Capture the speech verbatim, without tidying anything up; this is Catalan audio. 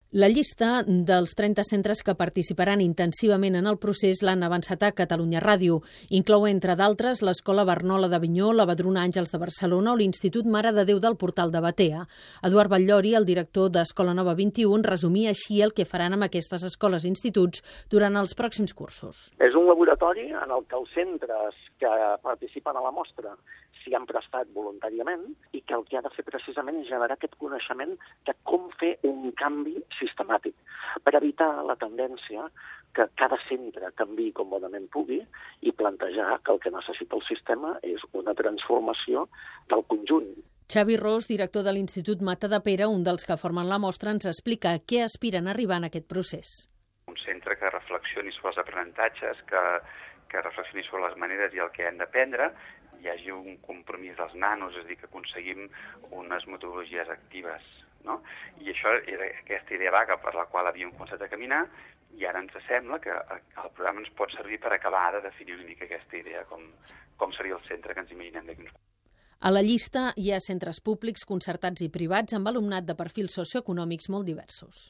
La llista dels trenta centres que participaran intensivament en el procés l'han avançat a Catalunya Ràdio. Inclou, entre d'altres, l'Escola Barnola d'Avinyó, la Vedruna Àngels de Barcelona o l'Institut Mare de Déu del Portal de Batea. Eduard Batllori, el director d'Escola Nova vint-i-u, resumia així el que faran amb aquestes escoles i instituts durant els pròxims cursos. És un laboratori en el que els centres que participen a la mostra s'hi han prestat voluntàriament i que el que ha de fer precisament és generar aquest coneixement de com fer un canvi sistemàtic per evitar la tendència que cada centre canviï com bonament pugui i plantejar que el que necessita el sistema és una transformació del conjunt. Xavi Ros, director de l'Institut Matadepera, un dels que formen la mostra, ens explica a què aspiren a arribar en aquest procés. Un centre que reflexioni sobre els aprenentatges, que, que reflexioni sobre les maneres i el que hem d'aprendre, hi hagi un compromís dels nanos, és a dir, que aconseguim unes metodologies actives, no? I això era aquesta idea vaga per la qual havíem començat a caminar i ara ens sembla que el programa ens pot servir per acabar de definir una mica aquesta idea, com, com seria el centre que ens imaginem d'aquí uns anys. A la llista hi ha centres públics, concertats i privats amb alumnat de perfils socioeconòmics molt diversos.